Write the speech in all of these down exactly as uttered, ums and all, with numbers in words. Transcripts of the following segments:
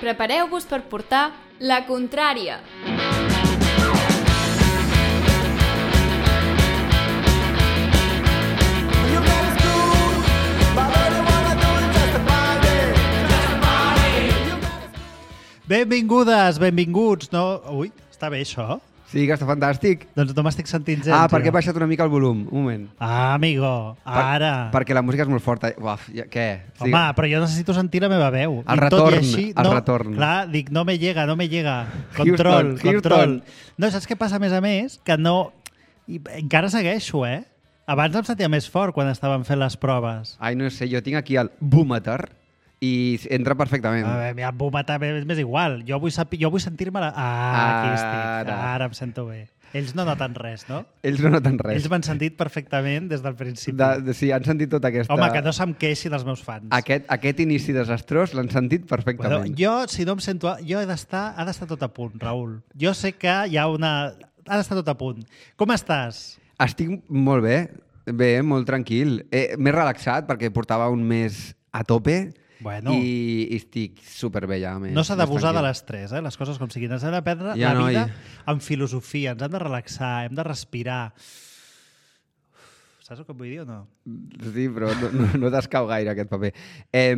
Prepareu-vos per portar la contrària. Benvingudes, benvinguts, no? Ui, està bé això? Sí, que està fantàstic. Doncs no m'estic sentint gens. Ah, perquè jo. he baixat una mica el volum. Un moment. Ah, amigo, ara. Per, perquè la música és molt forta. Uaf, ja, què? Home, sí. Però jo necessito sentir la meva veu. El I retorn, tot i així, el no, retorn. Clar, dic, no me llega, no me llega. Control, Houston, control. Houston. No, saps què passa, a més a més? Que no... I encara segueixo, eh? Abans em sentia més fort quan estaven fent les proves. Ai, no sé, jo tinc aquí el boometer i entra perfectament. A veure, el boometer és més igual. Jo vull, sapi... jo vull sentir-me... La... Ah, aquí estic. Ara. Ara em sento bé. Ells no noten res, no? Ells no noten res. Ells m'han sentit perfectament des del principi. De, de, sí, han sentit tota aquesta... Home, que no se'm queixi dels meus fans. Aquest, aquest inici desastrós l'han sentit perfectament. Bueno, jo, si no em sento... Jo he d'estar... Ha d'estar tot a punt, Raül. Jo sé que hi ha una... Ha d'estar tot a punt. Com estàs? Estic molt bé. Bé, molt tranquil. Eh, M'he relaxat perquè portava un mes a tope. Bueno. I, i estic superbé ja. Més, No s'ha d'abusar de l'estrès, eh? Les coses com siguin. Ens hem de prendre Ja, la noi. vida amb filosofia. Ens hem de relaxar, hem de respirar. Saps el que vull dir o no? Sí, però no, no, no t'escau gaire aquest paper. Eh,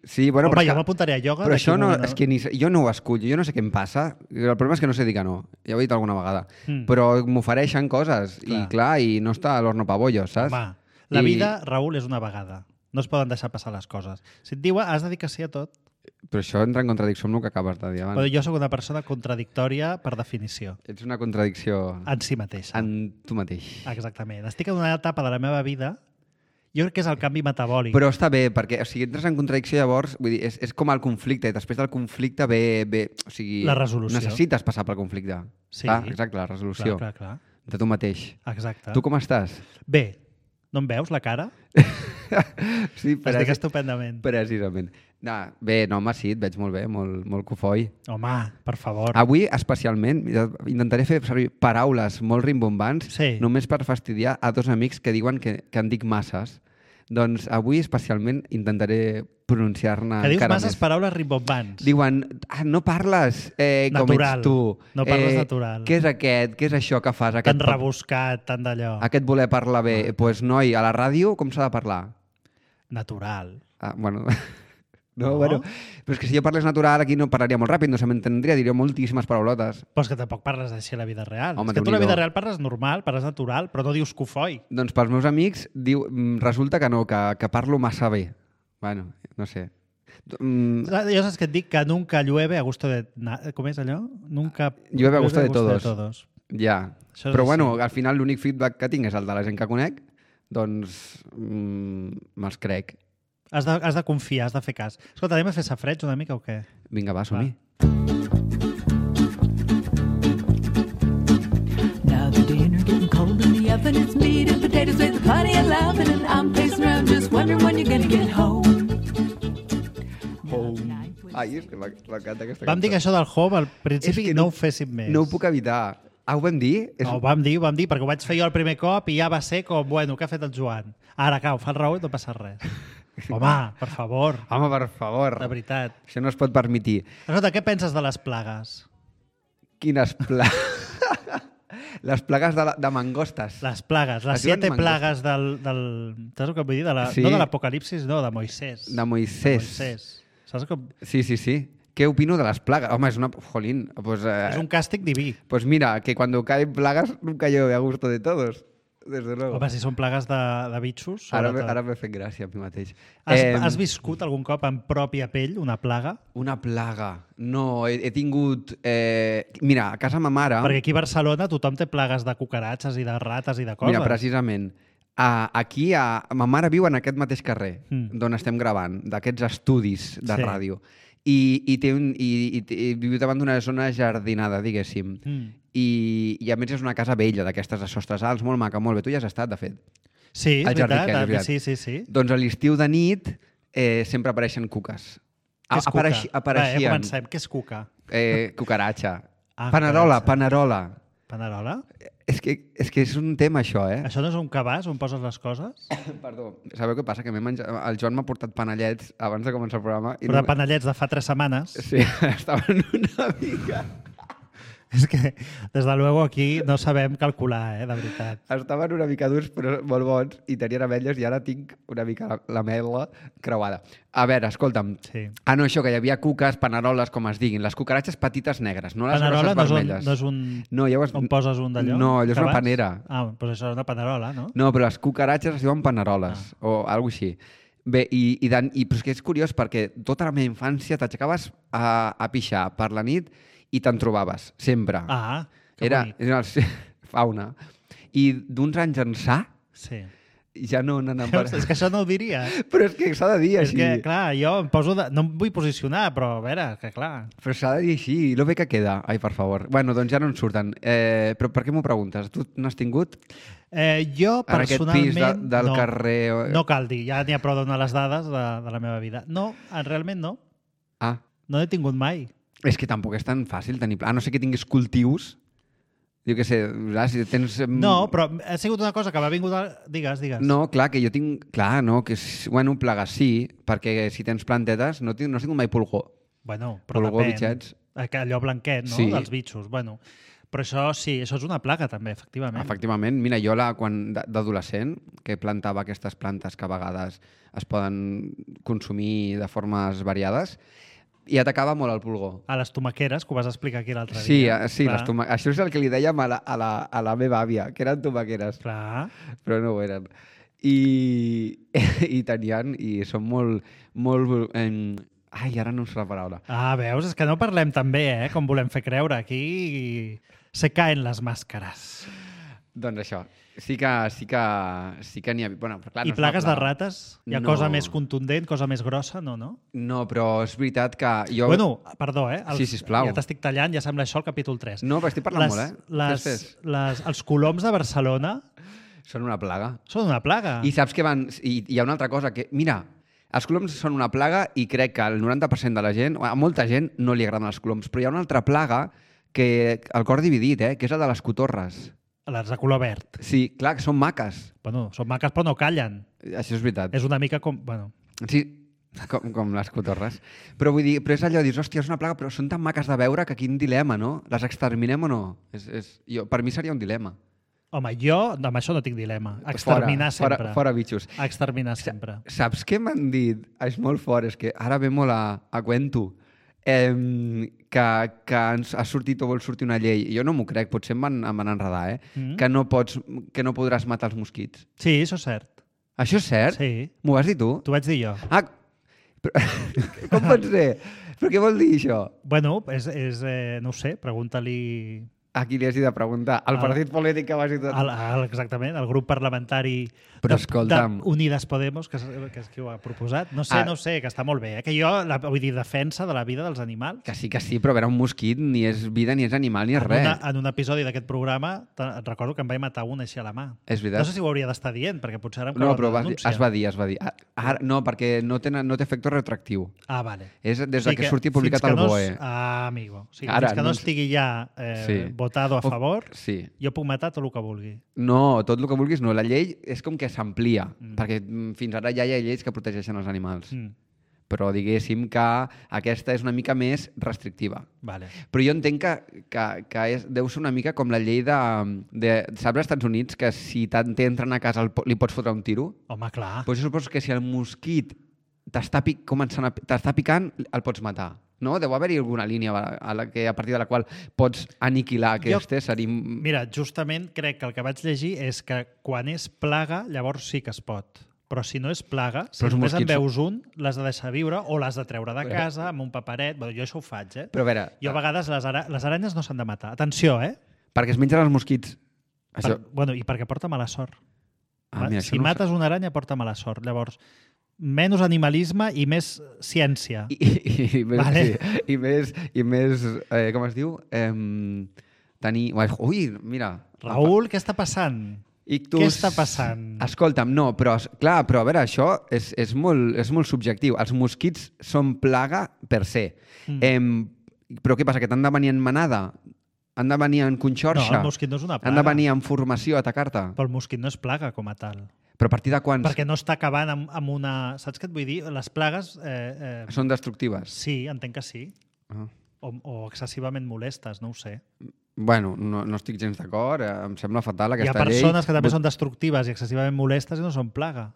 sí, bueno, Home, però, jo m'apuntaré a ioga. però d'aquí això un no, moment, és que ni, jo no ho escullo, jo no sé què em passa. El problema és que no sé dir que no. Ja ho he dit alguna vegada. Mm. Però m'ofereixen coses Clar. i clar, i no està a l'horno pabollo, saps? Home, la I- vida, Raül, és una vegada. No es poden deixar passar les coses. Si et diuen, has de dir que sí a tot. Però això entra en contradicció amb el que acabes de dir abans. Però jo sóc una persona contradictòria per definició. Ets una contradicció En si mateixa. en tu mateix. Exactament. Estic en una etapa de la meva vida, jo crec que és el canvi metabòlic. Però està bé, perquè o sigui, entres en contradicció llavors, vull dir, és, és com el conflicte, i després del conflicte ve... ve o sigui, La resolució. Necessites passar pel conflicte. Sí. Clar, exacte, la resolució Clar, clar, clar. de tu mateix. Exacte. Tu com estàs? Bé, no em veus la cara? Sí, Estic estupendament. precisament. No, bé, no, home, sí, et veig molt bé, molt, molt cofoi. Home, per favor. Avui, especialment, intentaré fer servir paraules molt rimbombants Sí. només per fastidiar a dos amics que diuen que, que en dic masses. Doncs avui, especialment, intentaré pronunciar-ne Que dius encara masses més. paraules rimbombants. Diuen, ah, no parles eh, com Natural. ets tu. No parles eh, natural. Què és aquest? Què és això que fas? Aquest, Tan pap- rebuscat, tan d'allò. aquest voler parlar bé. Doncs, pues, noi, a la ràdio com s'ha de parlar? Natural. Ah, bueno... No, No? bueno, però és que si jo parlés natural aquí no parlaria molt ràpid, no se m'entendria, diria moltíssimes paraulotes. Però és que tampoc parles així a la vida real. Home, és que tu a la Déu-n'hi-do. vida real parles normal, parles natural, però no dius cofoi. Doncs pels meus amics diu, mm, resulta que no, que, que parlo massa bé. Bueno, no sé. Mm, Jo saps que et dic que nunca llueve a gusto de... na- Com és allò? Nunca Llueve a gusto de todos. todos. ja. Això és Però així. bueno, al final l'únic feedback que tinc és el de la gent que conec, doncs mm, me'ls crec. Has de, has de confiar, has de fer cas. Escolta, anem a fer safreig una mica o què? Vinga, va, som-hi. Now the dinner getting cold in the oven. It's meat and potatoes with plenty of loving, and I'm pacing around just wondering when you're gonna get home. Ai, és que m'encanta aquesta Vam dir que això del home al principi És que no, no- ho féssim més. No ho puc evitar. Ah, ho vam dir? És... No, ho vam dir, ho vam dir, perquè ho vaig fer jo el primer cop i ja va ser com, bueno, què ha fet el Joan? Ara, cau, fa el Raül i no passa res. Home, per favor, Home, per favor. de veritat. Això no es pot permetir. Escolta, què penses de les plagues? Quines plagues... Les plagues de, la, de mangostes. Les plagues, les Es diuen siete mangostes. plagues del, del... Saps el que vull dir? De la, Sí. No de l'Apocalipsis, no, de Moisès. De Moisès. Moisès. Saps com... Sí, sí, sí. Què opino de les plagues? Home, és una... Jolín, pues, eh, És un càstig diví. pues mira, que cuando caen plagas nunca llueve a gusto de todos. Desde luego. Home, si són plagues de, de bitxos, ara sobretot. ara m'he fet gràcia a mi mateix. Has, Em, has viscut algun cop en pròpia pell una plaga? Una plaga. No, he, he tingut... Eh... Mira, a casa ma mare... Perquè aquí a Barcelona tothom té plagues de cucaratges i de rates i de coses. Mira, precisament, a, aquí a, ma mare viu en aquest mateix carrer Mm. d'on estem gravant, d'aquests estudis de Sí. ràdio. I, i, té un, i, i, i viu davant d'una zona jardinada, diguéssim. Mm. I, I a més és una casa vella, d'aquestes de sostres alts, molt maca, molt bé. Tu hi has estat, de fet. Sí, és Al jardí, veritat. que és ah, veritat. Sí, sí, sí. Doncs a l'estiu de nit eh, sempre apareixen cuques. Què és cuca? Apareixi, Va, ja apareixien. comencem. Què és cuca? Eh, cucaracha. Ah, Panerola, cucaracha. panerola. Panerola? És que, és que és un tema, això, eh? Això no és un cabàs on poses les coses? Perdó, sabeu què passa? Que m'he menjat... El Joan m'ha portat panellets abans de començar el programa. I Però no... de panellets de fa tres setmanes. Sí, estaven una mica... És que, des de luego, aquí no sabem calcular, eh, de veritat. Estaven una mica durs, però molt bons, i tenien ametlles, i ara tinc una mica la- l'ametla creuada. A veure, escolta'm. Sí. Ah, no, això, que hi havia cuques, paneroles, com es diguin. Les cucaratges petites negres, no les Panerola no grosses és, un, vermelles. no és un... No, ja ho has... on poses un d'allò? No, allò és una Cabàs? panera. Ah, doncs això és una panerola, no? No, però les cucaratges es diuen paneroles, ah. o alguna cosa així. Bé, i, i, dan, i però és que és curiós perquè tota la meva infància t'aixecaves a, a pixar per la nit i te'n trobaves, sempre. Ah, que era, bonic. era el, fauna. I d'uns anys ençà Sí. ja no n'han Veus? És que això no ho diria. Però és que s'ha de dir És així. que, clar, jo em poso de... No em vull posicionar, però a veure, que clar... Però s'ha de dir així, lo bé que queda. Ai, per favor. Bueno, doncs ja no en surten. Eh, però per què m'ho preguntes? Tu n'has tingut? Eh, jo, En aquest personalment... pis de, del no, carrer... No cal dir, ja n'hi ha prou de donar les dades de, de la meva vida. No, realment no. Ah, No n'he tingut mai. és que tampoc és tan fàcil tenir... A no ser que tinguis cultius. Jo què sé, clar, si tens... em, No, però ha sigut una cosa que m'ha vingut... A... Digues, digues. No, clar, que jo tinc... Clar, no, que... és- Bueno, plagues sí, perquè si tens plantetes no, tinc, no has tingut mai pulgó. Bueno, però Pulgó, depèn. bitxets. Aqu- Allò blanquet, no? Sí. Dels bitxos. Bueno, però això sí, això és una plaga també, efectivament. Efectivament, mira, jo la, quan d- d'adolescent, que plantava aquestes plantes que a vegades es poden consumir de formes variades, i atacava molt el pulgó. A les tomaqueres, que ho vas explicar aquí l'altre Sí, dia. eh, sí, Clar, les toma... això és el que li dèiem a la, a la, a la meva àvia, que eren tomaqueres, Clar. però no ho eren. I, i tenien, i són molt... molt eh, ai, ara no em surt la paraula. Ah, veus? És que no parlem tan bé, eh? Com volem fer creure. Aquí se caen les màscares. Doncs això, sí que sí que, sí que n'hi ha... Bueno, però clar, I no és una plagues de plaga. rates? Hi ha No. cosa més contundent, cosa més grossa? No, no? No, però és veritat que jo... Bueno, perdó, eh? Sí, sisplau. Ja t'estic tallant, ja sembla això el capítol tres. No, però estic parlant les, molt, eh? Les, Fes, fes. les, els coloms de Barcelona Són una plaga. són una plaga. I saps que van... I hi ha una altra cosa, que... Mira, els coloms són una plaga i crec que el noranta per cent de la gent, a molta gent no li agraden els coloms, però hi ha una altra plaga que el cor dividit, eh? Que és la de les cotorres. Les de color verd. Sí, clar, que són maques. Bueno, són maques però no callen. Això és veritat. És una mica com... Bueno, Sí, com, com les cotorres. Però vull dir, però és allò, dius, hòstia, és una plaga, però són tan maques de veure que quin dilema, no? Les exterminem o no? És, és, jo, per mi seria un dilema. home, jo amb això no tinc dilema. Exterminar fora, sempre. Fora, fora bitxos. Exterminar sempre. Saps què m'han dit? És molt fort, és que ara ve molt a, a cuento. Eh, que, que ens ha sortit o vol sortir una llei. Jo no m'ho crec, potser em van, em van enredar, eh? Mm. Que, no pots, que no podràs matar els mosquits. Sí, això és cert. Això és cert? Sí. M'ho vas dir tu? T'ho vaig dir jo. Ah, però, com pot ser? Però què vol dir això? Bueno, és, és eh, no ho sé, pregunta-li A qui li has de preguntar? Al Al- partit polític que vas dir tot. al, al, exactament, al grup parlamentari Però de, escolta'm. de Unides Podemos, que és, que és qui ho ha proposat. No sé, Ah. no sé, que està molt bé. Eh? Que jo, la, vull dir, defensa de la vida dels animals. Que sí, que sí, però a veure, un mosquit ni és vida, ni és animal, ni és En, res. una, en un episodi d'aquest programa te- et recordo que em vaig matar un així a la mà. És veritat. No sé si ho hauria d'estar dient, perquè potser ara em No, cau però una vas, dir- denúncia. es va dir, es va dir. Ah, Ara, no, perquè no té, no té efecte retractiu. Ah, vale. És des de Sí que surti publicat fins que al no B O E. es- Ah, amigo. O sigui, Ara, fins que no, no no ens- estigui ja eh, Sí. votado a O- favor, Sí. jo puc matar tot el que vulgui. No, tot el que vulguis no. La llei és com que s'amplia, Mm. perquè mm, fins ara ja hi ha lleis que protegeixen els animals. Mm. Però diguéssim que aquesta és una mica més restrictiva. Vale. Però jo entenc que, que, que és, deu ser una mica com la llei de... de saps als Estats Units que si tant t'entren a casa el, po- li pots fotre un tiro? Home, clar. Doncs jo suposo que si el mosquit t'està pic, començant a, t'està picant, el pots matar. No? Deu haver-hi alguna línia a, la que, a partir de la qual pots aniquilar aquest ésser. I... Mira, justament crec que el que vaig llegir és que quan és plaga, llavors sí que es pot. Però si no és plaga, si Però els només en mosquits- veus un, l'has de deixar viure o l'has de treure de casa amb un paperet. Bueno, jo això ho faig, eh? Però a veure, Jo a vegades les, ara... les aranyes no s'han de matar. Atenció, eh? perquè es mengen els mosquits. Això... Per... Bueno, i perquè porta mala sort. Ah, mira, això si no ho mates una aranya, porta mala sort. Llavors, menys animalisme i més ciència. I, i, i, més, Vale. sí, i més, i més eh, com es diu? Eh, tenir... Ui, mira. Raül, què està passant? Ictus... Què està passant? Escolta'm, no, però, clar, però a veure, això és, és, molt, és molt subjectiu. Els mosquits són plaga per se. Mm. Eh, però què passa, que t'han de venir en manada? Han de venir en No, conxorxa? el mosquit no és una plaga. Han de venir en formació a atacar-te? Però el mosquit no és plaga com a tal. Però a partir de quants Perquè no està acabant amb, amb una... Saps què et vull dir? Les plagues... Eh, eh, són destructives? sí, entenc que sí. Ah. O, o excessivament molestes, no ho sé. Bueno, no, no estic gens d'acord. eh, Em sembla fatal Hi ha aquesta llei. persones que també són destructives i excessivament molestes i no són plaga.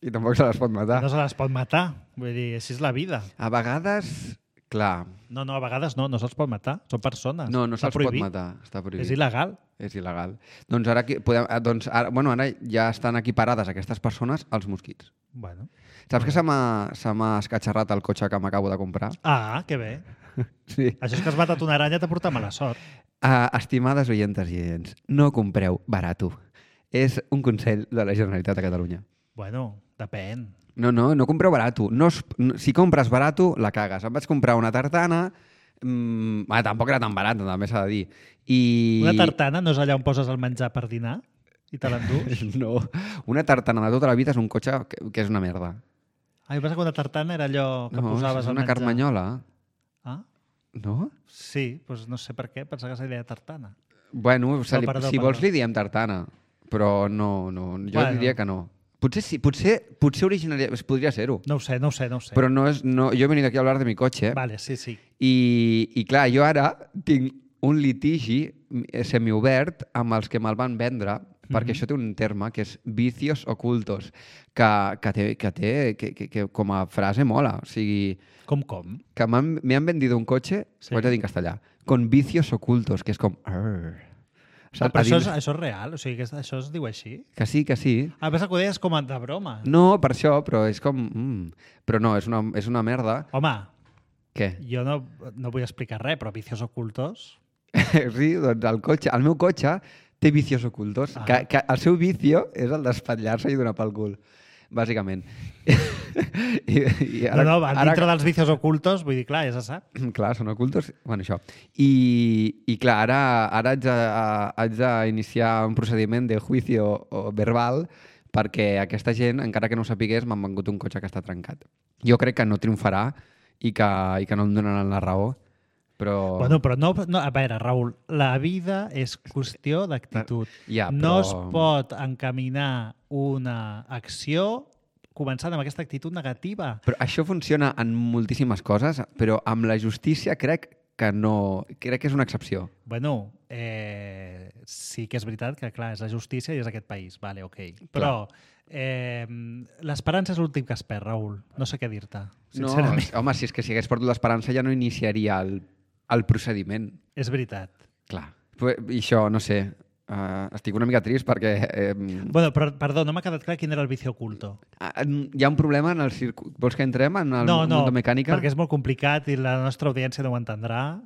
I tampoc se les pot matar. No se les pot matar. Vull dir, així és la vida. A vegades, clar, No, no, a vegades no, no se'ls pot matar. Són persones. no, no Està se'ls pot prohibit. matar. Està prohibit. És il·legal. És il·legal. Doncs ara, aquí podem, eh, doncs ara, bueno, ara ja estan equiparades aquestes persones als mosquits. Bueno. Saps que se m'ha se m'ha escatxarrat el cotxe que m'acabo de comprar? Ah, que bé. Sí. Això és que has matat una aranya t'ha portat mala sort. Uh, estimades oientes i oients, no compreu barato. És un consell de la Generalitat de Catalunya. Bueno, depèn. No, no, no compreu barato. No, es- no, si compres barato, la cagues. Em vaig comprar una tartana... Mmm, bueno, tampoc era tan barata, també s'ha de dir. I... Una tartana no és allà on poses el menjar per dinar i te l'endús? No, una tartana de tota la vida és un cotxe que, que és una merda. Ah, jo penso que una tartana era allò que No, posaves és al una menjar. carmanyola. Ah, No? sí, doncs no sé per què, pensava que se deia tartana. Bueno, se li, perdó, si perdó. vols li diem tartana, però no, no jo Bueno. diria que no. Potser sí, potser, potser originaria, podria ser-ho. No ho sé, no ho sé, no ho sé. Però no és, no, jo he venit aquí a hablar de mi cotxe Vale, sí, sí. i, i clar, jo ara tinc un litigi eh, semiobert amb els que me'l van vendre, perquè això té un terme que és vicios ocultos, que, que, té, que, té, que, que, que com a frase mola. O sigui, Com, com? que m'han- me han vendido un cotxe, Sí. sí. ho haig de dir en castellà, con vicios ocultos, que és com... Arr. Ah, però A això dins- és, això és real? O sigui, que això es diu així? Que sí, que sí. Ah, pensa que ho deies com a de broma. No, per això, però és com... Mm. Però no, és una, és una merda. Home, Què? jo no, no vull explicar res, però vicios ocultos... Sí, doncs el cotxe, el meu cotxe té vicios ocultos. Ah. Que, que el seu vicio és el d'espatllar-se i donar pel cul, bàsicament. I, i Ara, no, no, dintre dels vicios ocultos, vull dir, clar, ja se sap. Clar, són ocultos. Bueno, això. I, i clar, ara, ara haig, de, haig d'iniciar un procediment de juicio verbal perquè aquesta gent, encara que no ho sapigués, m'han vengut un cotxe que està trencat. Jo crec que no triomfarà i que, i que no em donaran la raó, però... Bueno, però no, no... A veure, Raül, la vida és qüestió d'actitud. Ja, No però- es pot encaminar una acció començant amb aquesta actitud negativa. Però això funciona en moltíssimes coses, però amb la justícia crec que no... Crec que és una excepció. Bueno, eh, sí que és veritat que, clar, és la justícia i és aquest país. Vale, ok. Però eh, l'esperança és l'últim que es perd, Raül. No sé què dir-te, No, sincerament. home, si és que si hagués perdut l'esperança ja no iniciaria el, el procediment. És veritat. Clar. Però, I això, no sé, uh, estic una mica trist perquè eh, Bueno, però, perdó, no m'ha quedat clar quin era el vicio oculto. hi ha un problema en el circuit. Vols que entrem en el no, no, mundo mecànica? perquè és molt complicat i la nostra audiència no ho entendrà.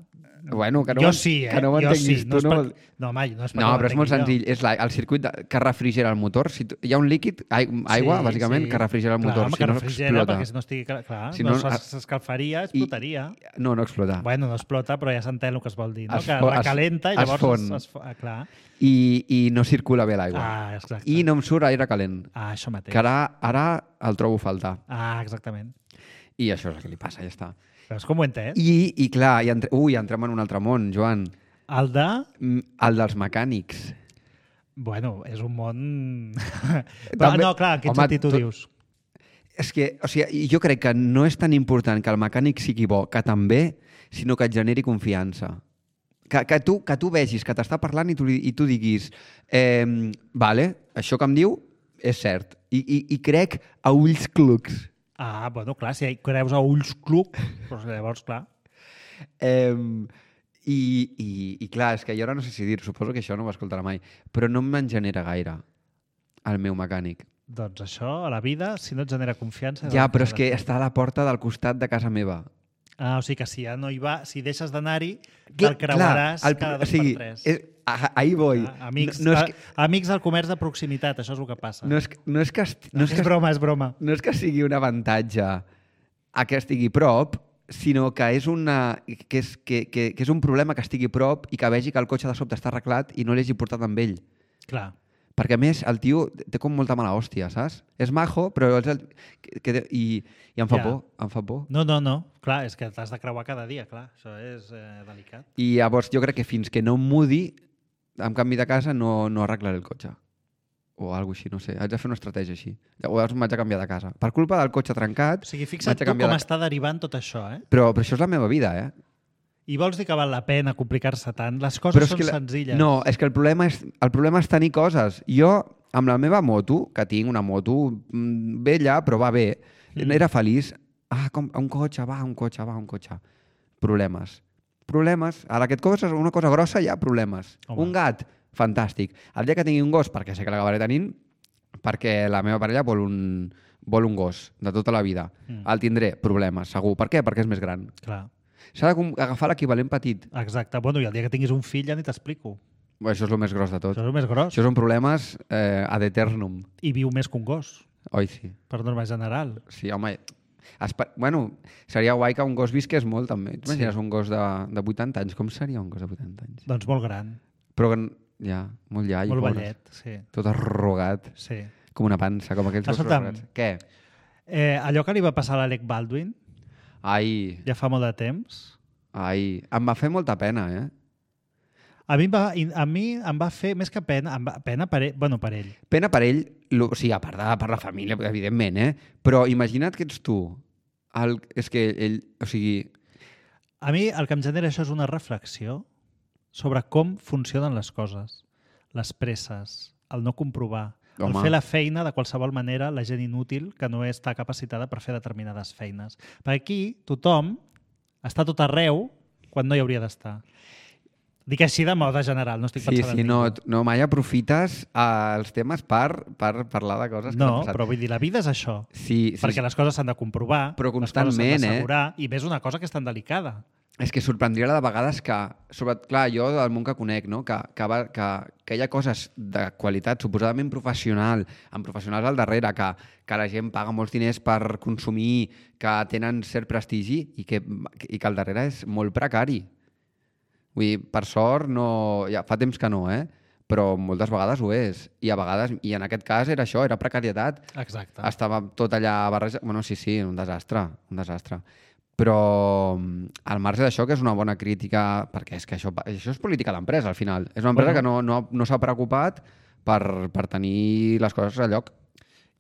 Bueno, que no jo m'en- sí, eh? que no jo m'entenguis sí. tu, No, és no per... vol- no, mai, no és No, però és molt senzill. És la, el circuit de, que refrigera el motor. Si tu, hi ha un líquid, aigua, Sí, bàsicament, sí. que refrigera el Clar, motor. home, si que no, refrigera, explota. perquè si no estigui... Clar, clar Si no, no, no a- s'escalfaria, explotaria. No, no explota. Bueno, no explota, però ja s'entén el que es vol dir, no? Es que fo- es- recalenta i es llavors... fon. Es, es, fo- ah, clar. I, I no circula bé l'aigua. Ah, exacte. I no em surt aire calent. Ah, això mateix. Que ara, ara el trobo a faltar. Ah, exactament. I això és el que li passa, ja està. Veus com ho he entès? I, i clar, i entre... ui, entrem en un altre món, Joan. El de... Mm, El dels mecànics. Bueno, és un món... Però, També- no, clar, en quin Home, sentit ho tot- dius? És que, o sigui, jo crec que no és tan important que el mecànic sigui bo, que també, sinó que et generi confiança. Que, que, tu, que tu vegis que t'està parlant i tu, li- i tu diguis eh, vale, això que em diu és cert. I, i, i crec a ulls clucs. Ah, bueno, clar, si creus a ulls cluc, doncs llavors, clar. Eh, i, i, I clar, és que jo ara no sé si dir, suposo que això no ho escoltarà mai, però no me'n genera gaire el meu mecànic. Doncs això, a la vida, si no et genera confiança... Ja, doncs però és has que de fer. està a la porta del costat de casa meva. Ah, o sigui que si ja no hi va, si deixes d'anar-hi, Clar, te'l creuaràs el- cada o dos sigui, per tres. És, ah, ahí voy. Ah, amics, no, no, és que, a, amics del comerç de proximitat, això és el que passa. no, és, que- no és que... esti- No és, és que broma, és broma. no és que sigui un avantatge a que estigui prop, sinó que és, una, que, és, que, que, que és un problema que estigui prop i que vegi que el cotxe de sobte està arreglat i no l'hagi portat amb ell. Clar. Perquè, a més, el tio té com molta mala hòstia, saps? És majo, però és el... Que, que, i, i em fa Ja. por, em fa por. No, no, no. Clar, és que t'has de creuar cada dia, clar. Això és eh, delicat. I llavors jo crec que fins que no em mudi, en canvi de casa, no, no arreglaré el cotxe. O alguna així, no sé. Haig de fer una estratègia així. Llavors m'haig de canviar de casa. Per culpa del cotxe trencat... O sigui, m'haig fixa't de tu canviar com de... està derivant tot això, eh? Però, però això és la meva vida, eh? I vols dir que val la pena complicar-se tant? Les coses Però és són que la... senzilles. No, és que el problema és, el problema és tenir coses. Jo, amb la meva moto, que tinc una moto mm, vella, però va bé, mm. era feliç. Ah, com, un cotxe, va, un cotxe, va, un cotxe. Problemes. Problemes. Ara que et coses una cosa grossa, hi ha problemes. Home. Un gat, fantàstic. El dia que tingui un gos, perquè sé que l'acabaré tenint, perquè la meva parella vol un, vol un gos de tota la vida. Mm. El tindré, problemes, segur. Per què? Perquè és més gran. Clar. S'ha d'agafar l'equivalent petit. Exacte. Bueno, i el dia que tinguis un fill ja ni t'explico. Bé, això és el més gros de tot. Això és el més gros. Això són problemes eh, ad eternum. I viu més que un gos, Oi, sí. per norma general. Sí, home... Espe... Bueno, seria guai que un gos visqués molt, també. T'imagines Sí. un gos de, de vuitanta anys? Com seria un gos de vuitanta anys? Doncs molt gran, Però que... Ja, molt llai. molt pobres. vellet, sí. Tot arrugat, sí. com una pansa, com aquells gossos Escolta'm. arrugats. Què? Eh, allò que li va passar a l'Alec Baldwin Ai, ja fa molt de temps, ai, em va fer molta pena, eh? a mi, em va, a mi em va fer més que pena, em va, pena per ell, bueno, per ell. Pena per ell, lo, o sigui, a part de per la família, evidentment, eh? Però imagina't que ets tu. El, és que ell, o sigui... A mi el que em genera això és una reflexió sobre com funcionen les coses, les presses, el no comprovar, Home. el fer la feina de qualsevol manera, la gent inútil que no està capacitada per fer determinades feines. Perquè aquí tothom està tot arreu quan no hi hauria d'estar. Dic així de moda general, no estic Sí, pensant sí, en no, ningú. no, mai aprofites eh, els temes per, per parlar de coses que No, t'han passat. però vull dir, la vida és això. Sí, sí, Perquè les coses s'han de comprovar, Però les coses s'han constantment, eh? d'assegurar, i més una cosa que és tan delicada. És que sorprendria de vegades que, sobre, clar, jo del món que conec, no? que, que, va, que, que hi ha coses de qualitat suposadament professional, amb professionals al darrere, que, que la gent paga molts diners per consumir, que tenen cert prestigi i que, i que al darrere és molt precari. Vull dir, per sort, no, ja fa temps que no, eh? Però moltes vegades ho és. I a vegades, i en aquest cas era això, era precarietat. Exacte. Estava tot allà barrejat. Bueno, sí, sí, un desastre, un desastre. Però al marge d'això, que és una bona crítica, perquè és que això, això és política d'empresa, al final. És una empresa Bueno. que no, no, no s'ha preocupat per, per tenir les coses a lloc.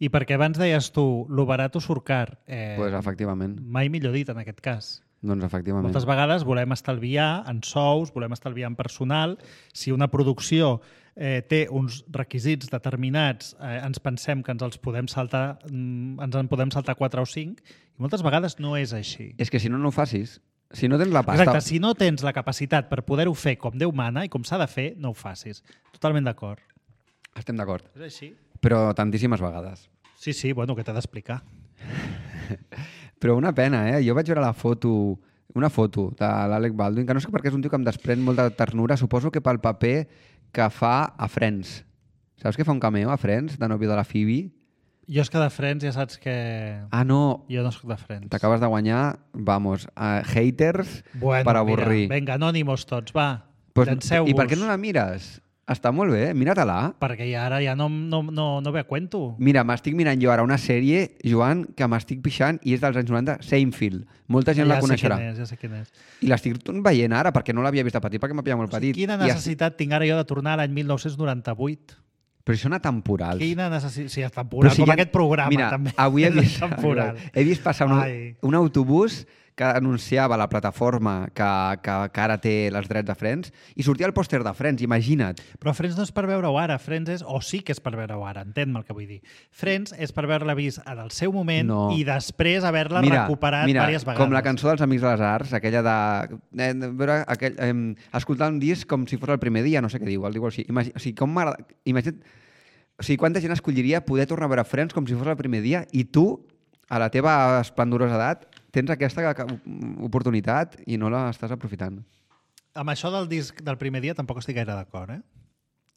I perquè abans deies tu, lo barato surt car. Eh, Pues, efectivament. mai millor dit en aquest cas. Doncs efectivament. Moltes vegades volem estalviar en sous, volem estalviar en personal. Si una producció eh, té uns requisits determinats, eh, ens pensem que ens els podem saltar, mm, ens en podem saltar quatre o cinc, i moltes vegades no és així. És que si no, no ho facis. Si no tens la pasta... Exacte, si no tens la capacitat per poder-ho fer com Déu mana i com s'ha de fer, no ho facis. Totalment d'acord. Estem d'acord. És així? Però tantíssimes vegades. Sí, sí, bueno, que t'he d'explicar. Però una pena, eh? Jo vaig veure la foto, una foto de l'Alec Baldwin, que no sé per què és un tio que em desprèn molta ternura, suposo que pel paper que fa a Friends. Saps que fa un cameo a Friends, de nòvio de la Phoebe? Jo és que de Friends ja saps que... Ah, no, Jo no soc de Friends. t'acabes de guanyar, vamos, uh, haters Bueno, per avorrir. Mira, vinga, anònimos tots, va. Pues, Llanceu-vos. I per què no la mires? Està molt bé, mira-te-la. Perquè ja ara ja no, no, no, no ve a cuento. Mira, m'estic mirant jo ara una sèrie, Joan, que m'estic pixant i és dels anys noranta, Seinfeld. Molta gent ja la coneixerà. Sé quin és, ja sé quin és. I l'estic veient ara, perquè no l'havia vist de petit, perquè m'ha pillat molt O sigui, petit. quina I necessitat tinc ara jo de tornar a l'any mil nou-cents noranta-vuit? Però són atemporals. Quina necessitat... Sí, és temporal, Però si com hi ha- aquest programa, Mira, també. avui he És vist, temporal. he vist passar un, Ai. un autobús que anunciava la plataforma que, que, que ara té els drets de Friends i sortia el pòster de Friends, imagina't. Però Friends no és per veure-ho ara. Friends és... O sí que és per veure-ho ara, entén-me el que vull dir. Friends és per veure-la vist en el seu moment No. i després haver-la Mira, recuperat mira, diverses vegades. com la cançó dels Amics de les Arts, aquella de... Eh, de veure aquell, eh, escoltar un disc com si fos el primer dia, no sé què diu, el diu així. Imagi, o sigui, com m'agrada... Imagina't... O sigui, quanta gent escolliria poder tornar a veure Friends com si fos el primer dia i tu, a la teva esplendorosa edat, tens aquesta oportunitat i no la estàs aprofitant. Amb això del disc del primer dia tampoc estic gaire d'acord, eh?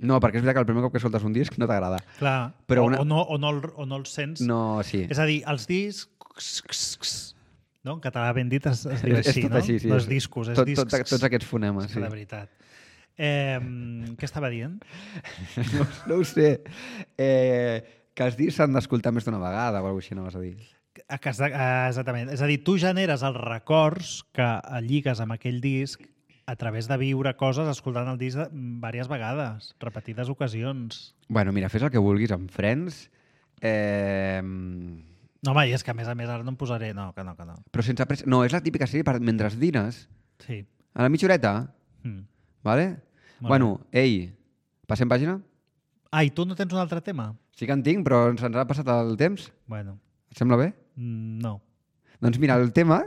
No, perquè és veritat que el primer cop que escoltes un disc no t'agrada. Clar, Però o, una- o, no, o, no el, o no el sents. No, sí. És a dir, els discs... No? En català ben dit es, es diu És així, tot no? així, sí. No és discos, és tot, discs. tot, tots aquests fonemes, És que sí. de veritat. Eh, què estava dient? No, no ho sé. Eh, que els discs s'han d'escoltar més d'una vegada o alguna cosa així, no vas a dir? Eh, que has de- eh, Exactament. És a dir, tu generes els records que lligues amb aquell disc a través de viure coses escoltant el disc diverses vegades, repetides ocasions. Bueno, mira, fes el que vulguis amb Friends, eh, No, home, i és que a més a més ara no em posaré... No, que no, que no. però sense pres... No, és la típica sèrie per mentre dines, Sí. a la mitja horeta, Mm. vale? Molt Bueno, ei, passem pàgina? Ah, i tu no tens un altre tema? Sí que en tinc, però se'ns ha passat el temps. Bueno, Et sembla bé? mm, no. Doncs mira, el tema...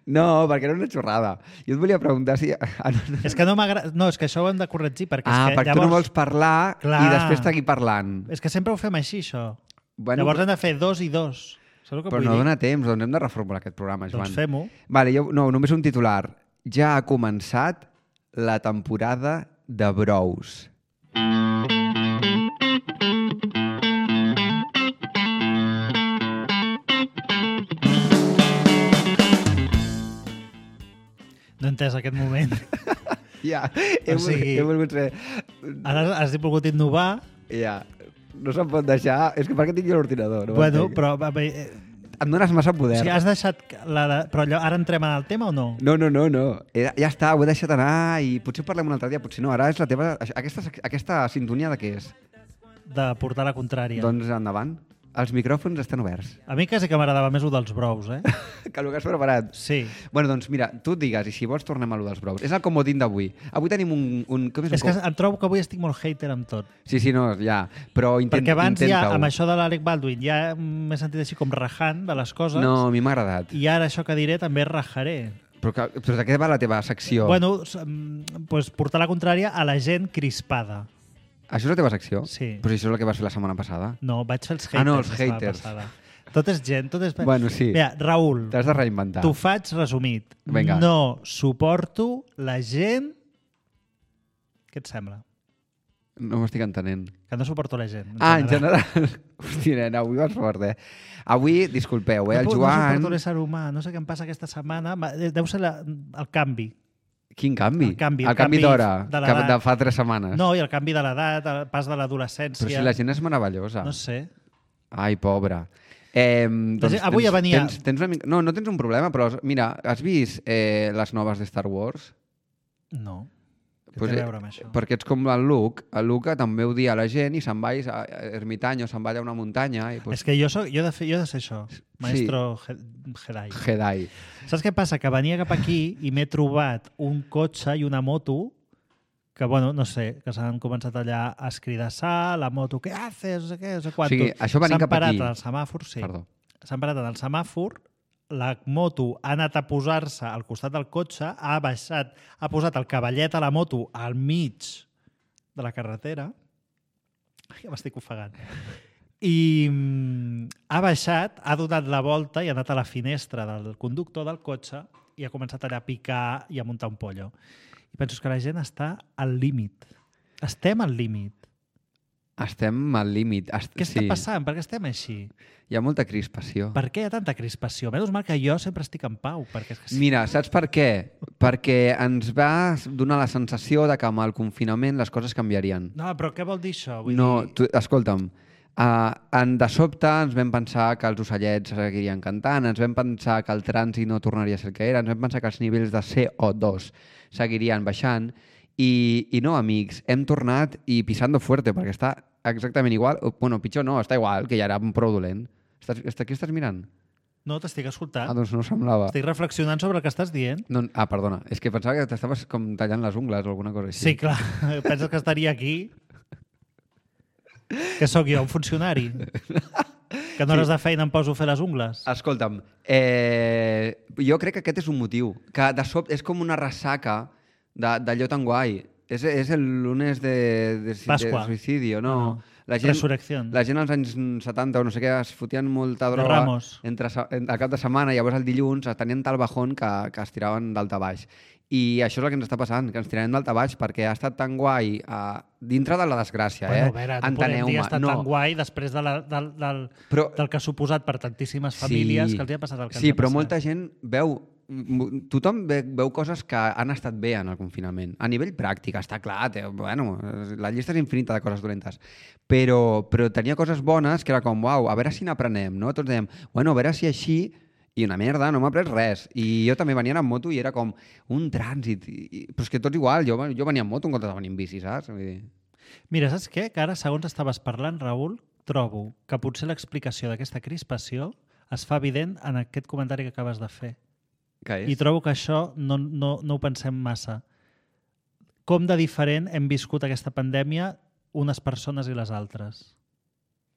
No, perquè era una xorrada. Jo et volia preguntar si... Ah, no, no. És que no m'agrada... No, és que això ho hem de corregir, perquè Ah, és que perquè llavors... tu no vols parlar Clar. i després estar aquí parlant. És que sempre ho fem així, això. Bueno, Llavors hem de fer dos i dos. Saps el que però vull no dir? dona temps, doncs hem de reformular aquest programa, Joan. Doncs fem-ho. Vale, jo, no, només un titular. Ja ha començat la temporada de Brous. No he entès aquest moment. Ja, he, O sigui- he volgut ser... Ara has volgut innovar. Ja, no se'm pot deixar... És que per què tinc jo l'ordinador? No Bueno, m'entenc. però... a veure, eh, Em dones massa O poder. sigui, has deixat... La de... Però allò, ara entrem en el tema o no? No, no, no, no. Era, ja està, ho he deixat anar i potser parlem un altre dia, potser no. Ara és la teva... Aquesta, aquesta sintonia de què és? De portar la contrària. Doncs endavant. Els micròfons estan oberts. A mi quasi que m'agradava més el dels brous, eh? Que el que has preparat. Sí. Bueno, doncs mira, tu et digues, i si vols tornem a lo dels brous. És el comodín d'avui. Avui tenim un... un com és, És un que com... em trobo que avui estic molt hater amb tot. Sí, sí, no, ja. Però intent, Perquè abans ja, intenta-ho. amb això de l'Alec Baldwin, ja m'he sentit així com rajant de les coses. No, a mi m'ha agradat. I ara això que diré també rajaré. Però, que, però de què va la teva secció? Bueno, s- mm, pues portar la contrària a la gent crispada. Això és la teva secció? Sí. Però si això és el que vas fer la setmana passada. No, vaig fer els haters. Ah, no, els la setmana haters. passada. Tot és gent, tot és... Bueno, sí. Mira, Raül, T'has de reinventar. t'ho faig resumit. Vinga. No suporto la gent... Què et sembla? No m'estic entenent. Que no suporto la gent. Ah, en general. Hòstia, nena, avui vas fort, eh? Avui, disculpeu, eh? El no, puc- No Joan... suporto l'ésser humà. No sé què em passa aquesta setmana. Ma- Deu ser la, el canvi. Quin canvi? El canvi, el el canvi canvi d'hora, de que l'edat. de fa tres setmanes. No, i el canvi de l'edat, el pas de l'adolescència. Però si la gent és meravellosa. No sé. Ai, pobra. Eh, doncs gent- avui ja venia- Tens, tens una mica... No, no tens un problema, però mira, has vist eh, les noves de Star Wars? No. Què Pues, té eh, a veure amb això? Perquè ets com el Luke. El Luke també ho dia a la gent i se'n va a ermitany o se'n va allà a una muntanya. I, pues, És que jo, soc, jo, he de fer, jo he de ser això. Maestro sí. Jedi. Jedi. Saps què passa? Que venia cap aquí i m'he trobat un cotxe i una moto que, bueno, no sé, que s'han començat allà a escridassar, la moto, què haces? No sé què, no sé quantos. O sigui, això venint S'han cap parat aquí. al semàfor, sí. Perdó. S'han parat en el semàfor, la moto ha anat a posar-se al costat del cotxe, ha baixat, ha posat el cavallet a la moto al mig de la carretera. Ai, ja m'estic ofegant. I mm, ha baixat, ha donat la volta i ha anat a la finestra del conductor del cotxe i ha començat allà a picar i a muntar un pollo. I penso que la gent està al límit. Estem al límit. Estem al límit. Est... Què està sí. passant? Per què estem així? Hi ha molta crispació. Per què hi ha tanta crispació? Menys mal que jo sempre estic en pau. Perquè és que sí. Mira, saps per què? Perquè ens va donar la sensació de que amb el confinament les coses canviarien. No, però què vol dir això? Vull No, dir... tu, escolta'm, uh, en, de sobte ens vam pensar que els ocellets seguirien cantant, ens vam pensar que el trànsit no tornaria a ser el que era, ens vam pensar que els nivells de C O dos seguirien baixant i, i no, amics, hem tornat i pisando fuerte, perquè està exactament igual, o, bueno, pitjor no, està igual, que ja era prou dolent. Estàs, estàs, què estàs mirant? No, t'estic escoltant. Ah, doncs no semblava. Estic reflexionant sobre el que estàs dient. No, ah, perdona, és que pensava que t'estaves com tallant les ungles o alguna cosa així. Sí, clar. Penses que estaria aquí? Que sóc jo, un funcionari? Que en hores de feina em poso a fer les ungles? Escolta'm, eh, jo crec que aquest és un motiu, que de sobte és com una ressaca de- d'allò tan guai. És, és el lunes de, de, Pasqua. de suïcidio, no? No, no. La gent, Resurrección. la gent als anys setanta o no sé què es fotien molta De droga Ramos. entre, se- en- al cap de setmana i llavors el dilluns tenien tal bajón que, que es tiraven dalt a baix. I això és el que ens està passant, que ens tirem dalt a baix perquè ha estat tan guai uh, dintre de la desgràcia, Bueno, eh? a veure, no podem dir Enteneu-me. que ha estat no. tan guai després de la, del, del, Però- del que ha suposat per tantíssimes famílies que els hi ha passat el que Sí, els ha però passat. molta gent veu m- tothom ve, veu coses que han estat bé en el confinament. A nivell pràctic, està clar, té, bueno, la llista és infinita de coses dolentes. Però, però tenia coses bones que era com, uau, a veure si n'aprenem, no? Tots dèiem, bueno, a veure si així... I una merda, no m'ha après res. I jo també venia en moto i era com un trànsit. I, i, però és que tot igual, jo, jo venia en moto en comptes de venir en bici, saps? Vull dir... Mira, saps què? Que ara, segons estaves parlant, Raül, trobo que potser l'explicació d'aquesta crispació es fa evident en aquest comentari que acabes de fer. Què és? I trobo que això no, no, no ho pensem massa. Com de diferent hem viscut aquesta pandèmia unes persones i les altres.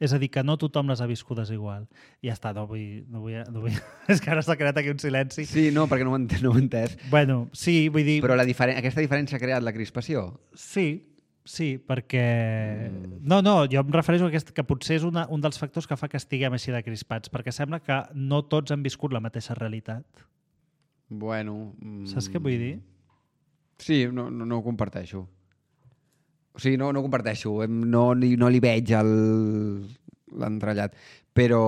És a dir, que no tothom les ha viscudes igual. I ja està, no vull... No vull, no vull... És que ara s'ha creat aquí un silenci. Sí, no, perquè no ho he entès. No ho he entès. Bueno, sí, vull dir... Però la diferen... aquesta diferència ha creat la crispació? Sí, sí, perquè... Mm. No, no, jo em refereixo a aquest, que potser és una, un dels factors que fa que estiguem així de crispats, perquè sembla que no tots han viscut la mateixa realitat. Bueno... Mm... Saps què vull dir? Sí, no, no, no ho comparteixo. O sigui, no, no ho comparteixo. Em- No, li- no li veig el- l'entrellat. Però,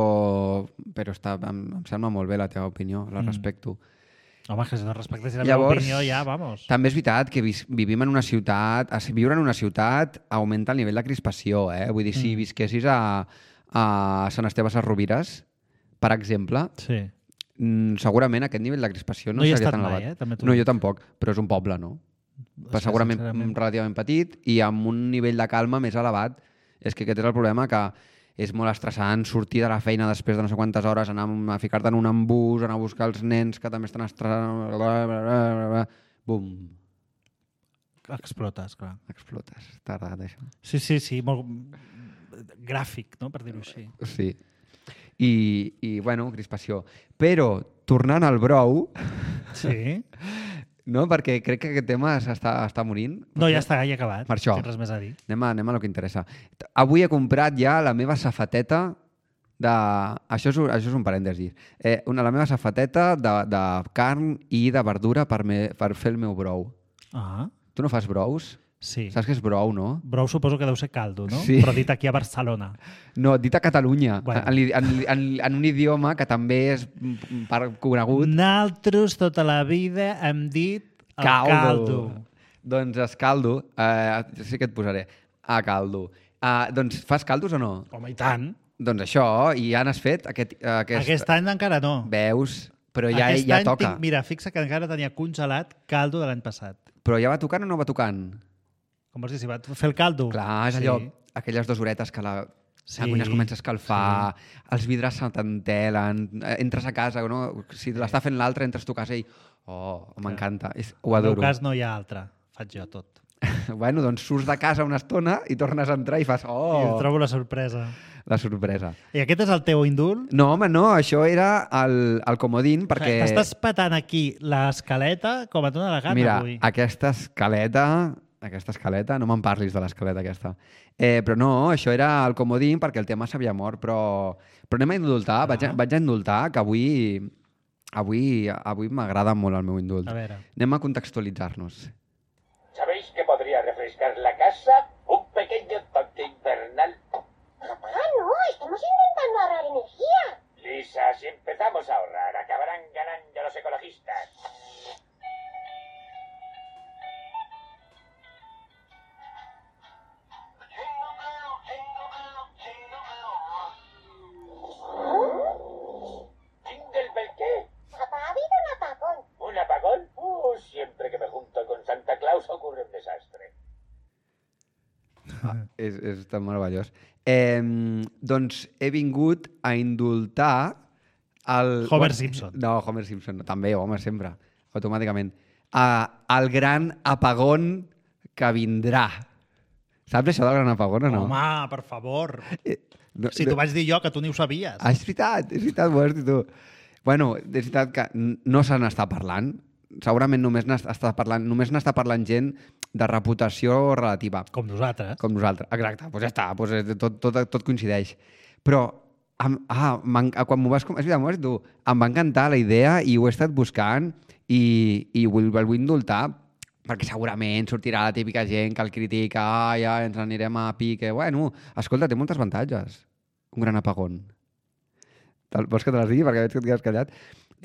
però està, em, em sembla molt bé la teva opinió, la Mm. respecto. Home, que si no respectessis la Llavors, meva opinió, ja, vamos. També és veritat que vis, vivim en una ciutat... a- Viure en una ciutat augmenta el nivell de crispació, eh? Vull dir, si Mm. visquessis a, a Sant Esteve Sesrovires, per exemple, Sí. mm, segurament aquest nivell de crispació no, No hi he seria estat tan mai, elevat. eh? També t'ho No, dic. jo tampoc, però és un poble, no? És Però que, segurament sincerament, relativament petit i amb un nivell de calma més elevat. És que aquest és el problema, que és molt estressant sortir de la feina després de no sé quantes hores, anar a ficar-te en un embús, anar a buscar els nens que també estan estressant... Bla, bla, bla, bla, bla. Bum, Explotes, clar. explotes. T'ha agradat això? Sí, sí, sí, molt gràfic, no?, per dir-ho així. Sí. I, i, bueno, crispació. Però, tornant al brou, Sí. no? Perquè crec que aquest tema s'està està morint. No, ja està, ja he acabat. Per això. Tens res més a dir. Anem a, anem a lo que interessa. Avui he comprat ja la meva safateta de... Això és, un- això és un parèntesi. Eh, una, la meva safateta de, de carn i de verdura per, me, per fer el meu brou. Ah, Tu no fas brous? sí. Saps què és brou, no? Brou suposo que deu ser caldo, no? Sí. Però dit aquí a Barcelona. No, dit a Catalunya, Bueno. bueno. en, en, en, en un idioma que també és mm, per conegut. Naltros tota la vida hem dit el caldo. Doncs es caldo. Eh, sí que et posaré. A caldo. Uh, doncs fas caldos o no? Home, i tant. Doncs això, i ja n'has fet aquest, aquest... Aquest any encara no. Veus? Però ja, Aquest ja any toca. Tinc, mira, fixa que encara tenia congelat caldo de l'any passat. Però ja va tocant o no va tocant? Com vols dir, si va fer el caldo? Clar, és Sí. allò, aquelles dues horetes que la, Sí, la cuina es comença a escalfar, sí. Els vidres se t'entelen, eh, entres a casa, no? Si l'està fent l'altre, entres tu a casa i... Oh, m'encanta, és- ho En el meu adoro. cas no hi ha altre. Faig jo tot. Bueno, doncs surts de casa una estona i tornes a entrar i fas... I Oh, trobo la sorpresa. la sorpresa. I aquest és el teu indult? No, home, no, això era el, el comodín perquè... T'estàs patant aquí l'escaleta com et dóna la gana Mira, avui. aquesta escaleta... Aquesta escaleta, no me'n parlis de l'escaleta aquesta. Eh, però no, això era el comodín perquè el tema s'havia mort, però, però anem a indultar, Ah. vaig, a, vaig a indultar, que avui, avui, avui m'agrada molt el meu indult. A veure. Anem a contextualitzar-nos. ¿Sabéis que podría refrescar la casa? Un pequeño toque invernal. Papá, no, estamos intentando ahorrar energía. Lisa, si empezamos a ahorrar, acabarán ganando los ecologistas. ¿Jingle Bell qué? Papá, ha habido un apagón. ¿Un apagón? Uh, siempre que me junto con Santa Claus ocurre un desastre. Ah, és, és tan meravellós. Eh, doncs he vingut a indultar el... Homer Simpson. No, Homer Simpson, no, també, home, sempre, automàticament. Uh, el gran apagón que vindrà. Saps això del gran apagón o no? Home, per favor. Eh, no, Si t'ho vaig dir jo, que tu ni ho sabies. Ah, és veritat, és veritat, ho has dit tu. Bueno, és veritat que n- no se n'està parlant. Segurament només n'està parlant, només n'està parlant gent de reputació relativa, Com nosaltres. com nosaltres. Exacte, doncs ja està, doncs tot, tot, tot coincideix. Però, am, ah, quan m'ho vas... com- És veritat, m'ho vas dir tu. Em va encantar la idea i ho he estat buscant i, i vull, el vull indultar perquè segurament sortirà la típica gent que el critica, ah, ja ens anirem a pique. Bueno, escolta, té moltes avantatges. Un gran apagón. Te'l- Vols que te les digui? Perquè veig que et quedes callat.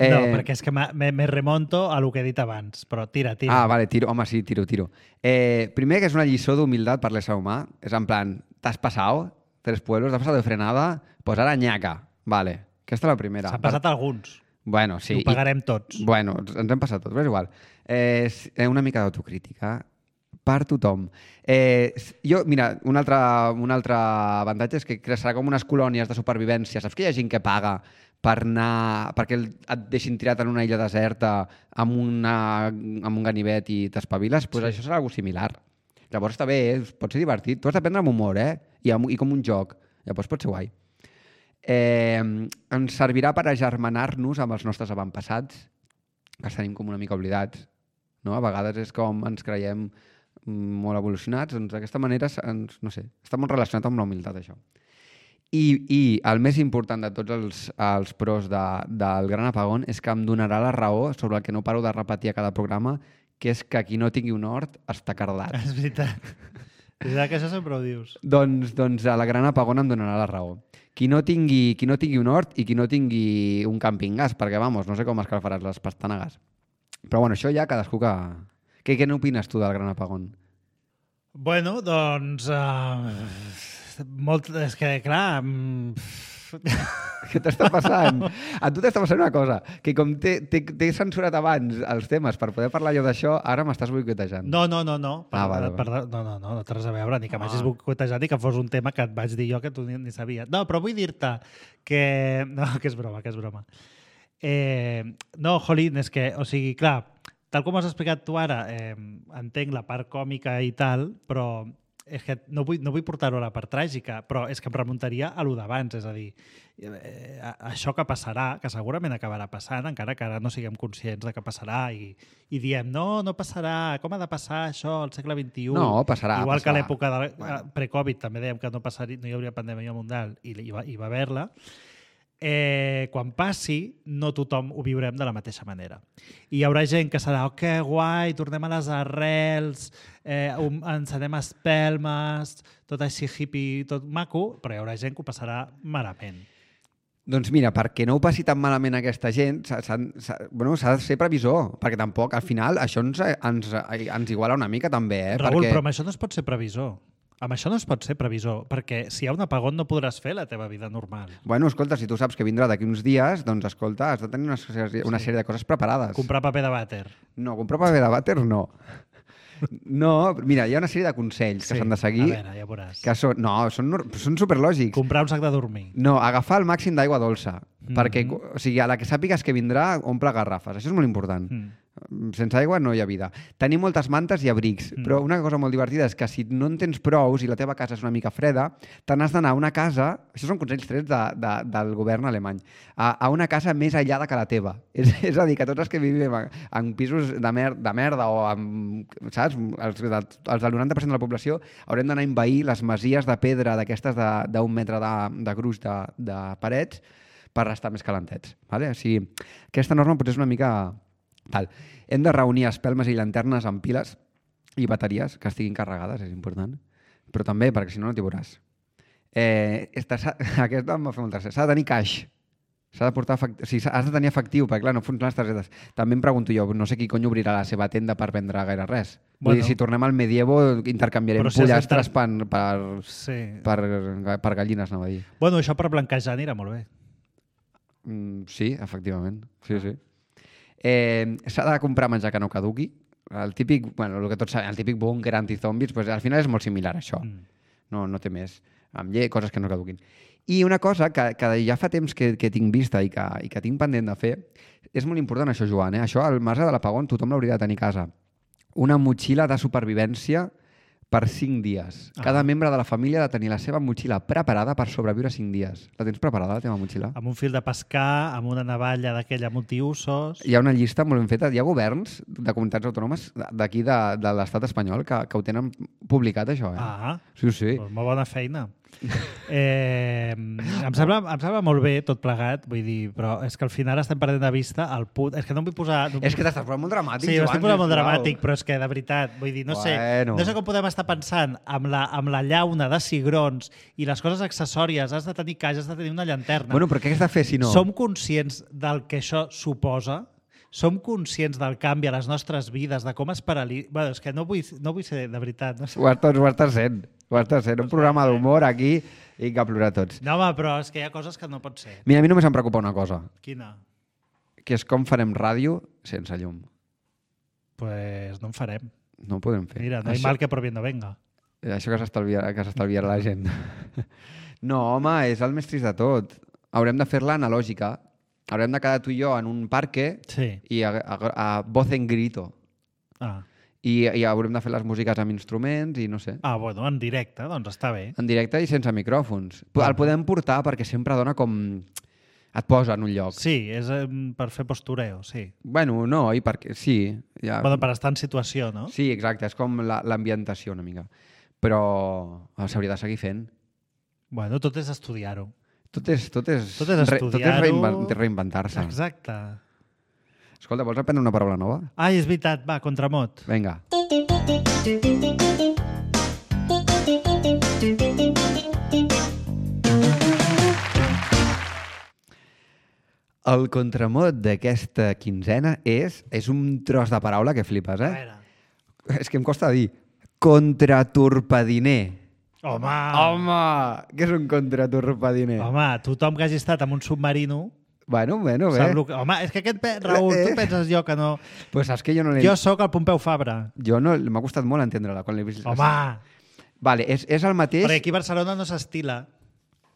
Eh... No, perquè és que me, me, me remonto a lo que he dit abans, però tira, tira. Ah, vale, tiro. Home, sí, tiro, tiro. Eh, primer, que és una lliçó d'humilitat per l'ésser humà. És en plan, t'has passat tres pueblos, t'has passat de frenada, pues ara nyaca. Vale, aquesta és la primera. S'han passat per... alguns. Bueno, sí. I ho pagarem tots. Bueno, ens hem passat tots, però és igual. Eh, és una mica d'autocrítica per tothom. Eh, jo, mira, un altre, un altre avantatge és que serà com unes colònies de supervivència. Saps que hi ha gent que paga per anar, perquè et deixin tirat en una illa deserta amb, una, amb un ganivet i t'espaviles? Doncs pues sí. Això serà alguna similar. Llavors està bé, eh? Pot ser divertit. Tu has de prendre amb humor, eh? I, amb, i com un joc. Llavors pot ser guai. Eh, ens servirà per agermanar-nos amb els nostres avantpassats, que els tenim com una mica oblidats. No? A vegades és com ens creiem molt evolucionats, doncs d'aquesta manera ens, no sé, està molt relacionat amb la humilitat, això. I, i el més important de tots els, els pros de, del Gran Apagón és que em donarà la raó sobre el que no paro de repetir a cada programa, que és que qui no tingui un hort està cardat. És veritat. És veritat que això sempre ho dius. Doncs, doncs a la Gran Apagón em donarà la raó. Qui no tingui, qui no tingui un hort i qui no tingui un camping gas, perquè, vamos, no sé com escalfaràs les pastanagues. Però, bueno, això ja cadascú que... Què, què n'opines tu del Gran Apagón? Bueno, doncs... Uh, molt, és que, clar... Um... Què t'està passant? A tu t'està passant una cosa, que com t'he censurat abans els temes per poder parlar jo d'això, ara m'estàs boicotejant. No, no, no, no. Per, ah, vale, per, vale. no, no, no, no té res a veure, ni que ah. m'hagis boicotejat ni que fos un tema que et vaig dir jo que tu ni, ni sabies. No, però vull dir-te que... No, que és broma, que és broma. Eh, no, Jolín, és que, o sigui, clar, tal com has explicat tu ara, eh, entenc la part còmica i tal, però és que no vull, no vull portar-ho a la part tràgica, però és que em remuntaria a lo d'abans, és a dir, eh, això que passarà, que segurament acabarà passant, encara que ara no siguem conscients de que passarà i, i diem, no, no passarà, com ha de passar això al segle vint-i-u? No, passarà. Igual passarà. que a l'època de bueno. pre-Covid també dèiem que no passaria, no hi hauria pandèmia mundial i hi va, hi va haver-la. Eh, quan passi, no tothom ho viurem de la mateixa manera. I hi haurà gent que serà, oh, que guai, tornem a les arrels, eh, um, ens anem a espelmes, tot així hippie, tot maco, però hi haurà gent que ho passarà malament. Doncs mira, perquè no ho passi tan malament aquesta gent, s'ha bueno, de ser previsor, perquè tampoc, al final, això ens, ens, ens iguala una mica també. Eh? Raül, perquè... però amb això no es pot ser previsor. Amb això no es pot ser previsor, perquè si hi ha un apagón no podràs fer la teva vida normal. Bueno, escolta, si tu saps que vindrà d'aquí uns dies, doncs escolta, has de tenir una, una sí. sèrie de coses preparades. Comprar paper de vàter. No, comprar paper de vàter no. No, mira, hi ha una sèrie de consells que s'han sí, de seguir. A veure, ja veuràs. Que són, no, són, són superlògics. Comprar un sac de dormir. No, agafar el màxim d'aigua dolça. Mm-hmm. Perquè, o sigui, a la que sàpigues que vindrà, omple garrafes. Això és molt important. Mm. Sense aigua no hi ha vida. Tenir moltes mantes i abrics, mm. però una cosa molt divertida és que si no en tens prous i la teva casa és una mica freda, te n'has d'anar a una casa, això són consells trets de, de, del govern alemany, a, a una casa més aïllada que la teva. És, és a dir, que tots els que vivim en, en pisos de, mer, de merda o amb, saps, els, els del noranta per cent de la població haurem d'anar a envair les masies de pedra d'aquestes d'un metre de, de gruix de, de parets per estar més calentets. Vale? O sigui, aquesta norma potser és una mica... Tal. Hem de reunir espelmes i llanternes amb piles i bateries que estiguin carregades, és important. Però també, perquè si no, no t'hi veuràs. Eh, esta, aquesta em va fer molt tercer. S'ha de tenir caix. S'ha de portar efectiu. O sigui, has de tenir efectiu, perquè clar, no funcionen les targetes. També em pregunto jo, no sé qui cony obrirà la seva tenda per vendre gaire res. Bueno, vull dir, si tornem al medievo, intercanviarem si pollastres inter... per, per, sí. per, per gallines, anava a dir. Bueno, això per blanquejar anirà molt bé. Mm, sí, efectivament. Sí, sí. Eh, s'ha de comprar menjar que no caduqui. El típic, bueno, el que tots sabem, el típic búnquer antizombis, pues, al final és molt similar a això. Mm. No, no té més. Amb llei, coses que no caduquin. I una cosa que, que ja fa temps que, que tinc vista i que, i que tinc pendent de fer, és molt important això, Joan. Eh? Això, al marge de l'apagón, tothom l'hauria de tenir a casa. Una motxilla de supervivència per cinc dies. Ah. Cada membre de la família ha de tenir la seva motxilla preparada per sobreviure cinc dies. La tens preparada, la teva motxilla? Amb un fil de pescar, amb una navalla d'aquella multiusos... Hi ha una llista molt ben feta. Hi ha governs de comunitats autònomes d'aquí de, de l'estat espanyol que, que ho tenen publicat, això, eh? Ah, Sí, sí. doncs molt bona feina. Eh, em, sembla, em sembla molt bé tot plegat, vull dir, però és que al final estem perdent de vista el punt... És que no em vull posar... No És que t'estàs posant molt dramàtic, Sí, Joan, m'estic posant molt sisplau. dramàtic, però és que, de veritat, vull dir, no sé, Bueno. no sé com podem estar pensant amb la, amb la llauna de cigrons i les coses accessòries, has de tenir caixa, has de tenir una llanterna. Bueno, però què has de fer si no? Som conscients del que això suposa? Som conscients del canvi a les nostres vides, de com es paralitza... Bueno, és que no vull, no vull ser, de veritat, no sé. Ho estàs, ho estàs sent. Ho estàs sent. Un programa d'humor aquí i que a plorar tots. No, home, però és que hi ha coses que no pot ser. Mira, a mi només em preocupa una cosa, Quina? que és com farem ràdio sense llum. Pues no en farem. No ho podem fer. Mira, no hay Això- mal que por bien no venga. Això que s'estalviarà que s'estalviarà la gent. No, home, és el més trist de tot. Haurem de fer-la analògica. Haurem de quedar tu i jo en un parque Sí. i a, a, a voz en grito. Ah. I, I haurem de fer les músiques amb instruments i no sé. ah, bueno, en directe, doncs està bé. En directe i sense micròfons. Bueno. El podem portar perquè sempre dona com... Et posa en un lloc. Sí, és eh, per fer postureo, sí. Bueno, no, i perquè... Sí, ja... Bueno, per estar en situació, no? Sí, exacte, és com la- l'ambientació una mica. Però eh, s'hauria de seguir fent. Bueno, tot és estudiar-ho. Tot és, tot és, Tot és re- tot és estudiar-ho. reinven- reinventar-se. Exacte. Escolta, vols aprendre una paraula nova? Ai, és veritat, va, contramot. Vinga. El contramot d'aquesta quinzena és, és un tros de paraula que flipes, A eh? veure. És que em costa dir. Contratorpediner. Home! Home! Què és un contratorpediner? Home, tothom que hagi estat en un submarino... Bueno, bueno, bé. Sap lo que... Home, és que aquest... Pe... Raül, Eh. tu penses jo que no... Pues saps que jo no l'he... Jo sóc el Pompeu Fabra. Jo no... M'ha costat molt entendre-la quan l'he vist. Home! Vale, és, és el mateix... Perquè aquí a Barcelona no s'estila.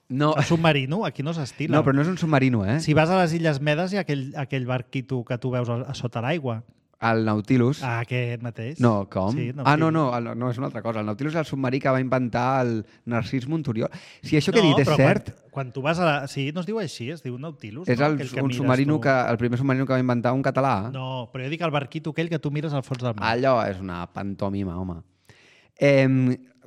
No, A submarino, aquí no s'estila. no, però no és un submarino, eh? Si vas a les Illes Medes hi ha aquell, aquell barquito que tu veus a, a sota l'aigua. El Nautilus... Ah, aquest mateix. No, com? Sí, ah, no, Nautilus. no, el, no, és una altra cosa. El Nautilus és el submarí que va inventar el Narcís Monturiol. Si això que he dit és però cert, Quan, quan tu vas a la... Sí, no es diu així, es diu Nautilus. és no? el, Aquell que un mires submarino tu. que, el primer submarino que va inventar un català. No, però jo dic el barquito aquell que tu mires al fons del mar. Allò és una pantomima, home. Eh,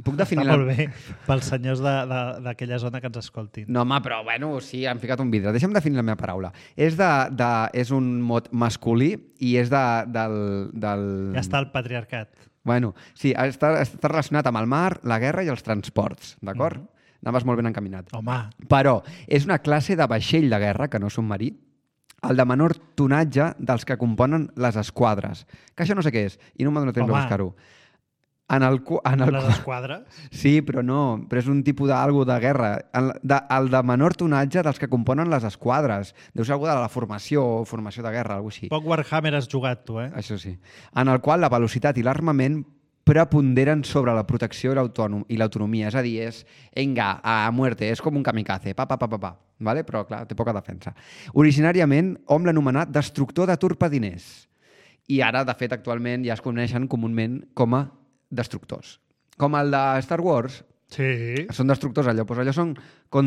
puc definir... Està la- molt bé pels senyors de- de- d'aquella zona que ens escoltin. No, home, però bueno, sí, han ficat un vidre. Deixa'm definir la meva paraula. És, de, de, és un mot masculí i és de, del, del... Ja està el patriarcat. Bueno, sí, està, està relacionat amb el mar, la guerra i els transports, d'acord? Mm -hmm. Anaves molt ben encaminat. Home, Però és una classe de vaixell de guerra, que no submarí, el de menor tonatge dels que componen les esquadres. Que això no sé què és, i no m'ha donat temps de Home. buscar-ho. En el, cu- en el, les cu- esquadres... Sí, però no, però és un tipus d'algo de guerra. El de, el de menor tonatge dels que componen les esquadres. Deu ser algú de la formació, formació de guerra, alguna així. Poc Warhammer has jugat, tu, eh? Això sí. En el qual la velocitat i l'armament preponderen sobre la protecció i l'autònom- i l'autonomia. És a dir, és, venga, a muerte, és com un kamikaze, pa, pa, pa, pa, pa. Vale? Però, clar, té poca defensa. Originàriament, hom l'anomenat destructor de torpediners. I ara, de fet, actualment ja es coneixen comúment com a destructors. Com el de Star Wars, Sí. són destructors allò, doncs allò són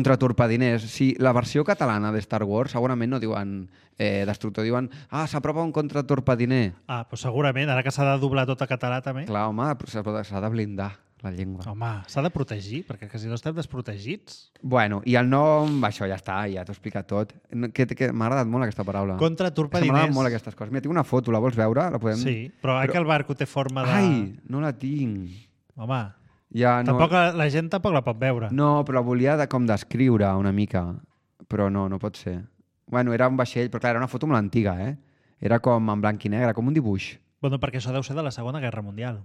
contratorpediners. Si la versió catalana de Star Wars segurament no diuen eh, destructor, diuen ah, s'apropa un contratorpediner. Ah, doncs segurament, ara que s'ha de doblar tot a català també. Clar, home, però s'ha s'ha de blindar la llengua. Home, s'ha de protegir, perquè que si no estem desprotegits. Bueno, i el nom, això ja està, ja t'ho he explicat tot. No, que, que M'ha agradat molt aquesta paraula. Contra M'agraden torpediners. molt aquestes coses. Mira, tinc una foto, la vols veure? La podem... Sí, però, però... que el barco té forma de... Ai, no la tinc. Home, Ja, no... tampoc, la gent tampoc la pot veure. No, però la volia de, com descriure una mica. Però no, no pot ser. Bueno, era un vaixell, però clar, era una foto molt antiga, eh? Era com en blanc i negre, com un dibuix. Bueno, perquè això deu ser de la Segona Guerra Mundial.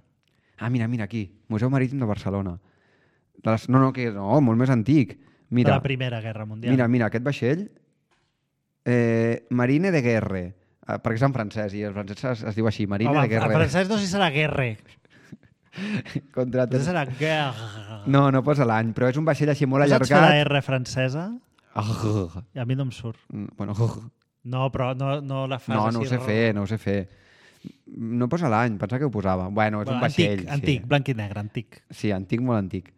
Ah, mira, mira, aquí. Museu Marítim de Barcelona. De les... No, no, que no, molt més antic. Mira, De la Primera Guerra Mundial. mira, mira, aquest vaixell... Eh, Marine de Guerre. Eh, perquè és en francès, i el francès es, es diu així, Marine Home, de Guerre. en francès no sé si serà guerre. Contra... No sé si serà guerre. No, no posa l'any, però és un vaixell així molt No saps fer la allargat. R francesa? I a mi no em surt. Bueno, No, però no, no la fas no, així. no ho sé fer, no ho sé fer. No posa l'any, pensava que ho posava. Bueno, és Bueno, un vaixell. antic, antic, blanc i negre, antic. Sí, antic, molt antic.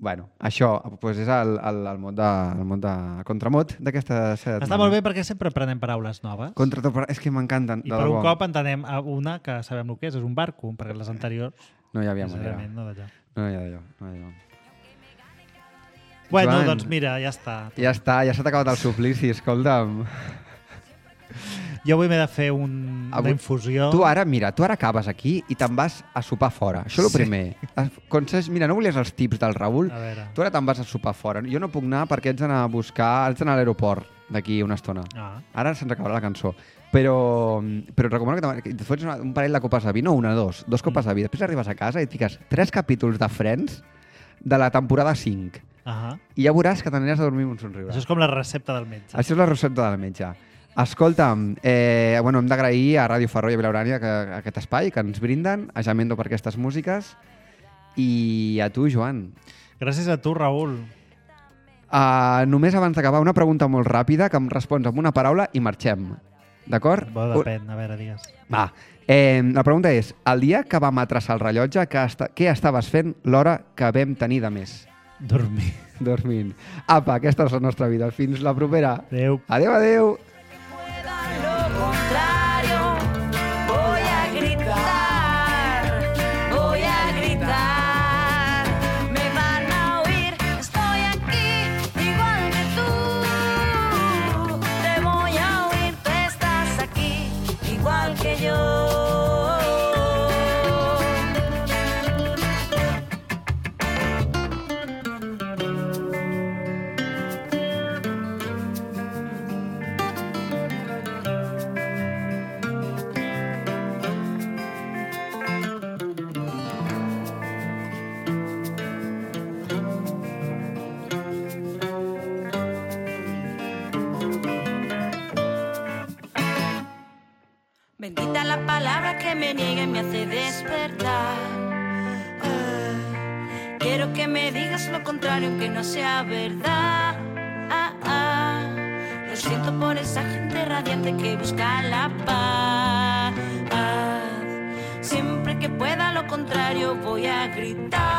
Bueno, això pues és el, el, el mot de, el mot de el contramot d'aquesta setmana. Està molt bé perquè sempre aprenem paraules noves. Contra... És que m'encanten. I de per un debò. cop entenem a una que sabem el que és, és un barco, perquè les anteriors No hi havia manera. sincerament no d'allò. No hi ha d'allò, no hi ha d'allò. Bueno, Joan. doncs mira, ja està. Ja està, ja s'ha acabat el suplici, escolta'm. Jo avui m'he de fer un, una Avui- infusió. Tu ara, mira, tu ara acabes aquí i te'n vas a sopar fora. Això és el Sí. primer. Conses, mira, no volies els tips del Raül? A veure. Tu ara te'n vas a sopar fora. Jo no puc anar perquè haig d'anar a buscar, haig d'anar a l'aeroport d'aquí una estona. Ah. Ara se'ns acabarà la cançó. Però, però et recomano que, te- que et fotis una, un parell de copes de vi, no una, dos, dos copes de vi. Després arribes a casa i et fiques tres capítols de Friends de la temporada cinc. Ah. I ja veuràs que t'aniràs a dormir amb un somriure. Això és com la recepta del metge. Això és la recepta del metge. Escolta'm, eh, bueno, hem d'agrair a Ràdio Ferrol i a Vilaurània que, aquest espai que ens brinden, a Jamendo per aquestes músiques i a tu, Joan. Gràcies a tu, Raül. Uh, només abans d'acabar, una pregunta molt ràpida que em respons amb una paraula i marxem. D'acord? Bo, depèn, a veure, digues. Va. Eh, la pregunta és, el dia que vam atreçar el rellotge, que esta, què estaves fent l'hora que vam tenir de més? Dormir. Dormint. Apa, aquesta és la nostra vida. Fins la propera. Adéu. Adéu, adéu. Lo contrario, voy a gritar, voy a gritar, me van a oír, estoy aquí, igual que tú, te voy a oír, tú estás aquí, igual que yo. Bendita la palabra que me niega y me hace despertar. Ah, quiero que me digas lo contrario, aunque no sea verdad. Ah, ah, lo siento por esa gente radiante que busca la paz. Ah, siempre que pueda lo contrario voy a gritar.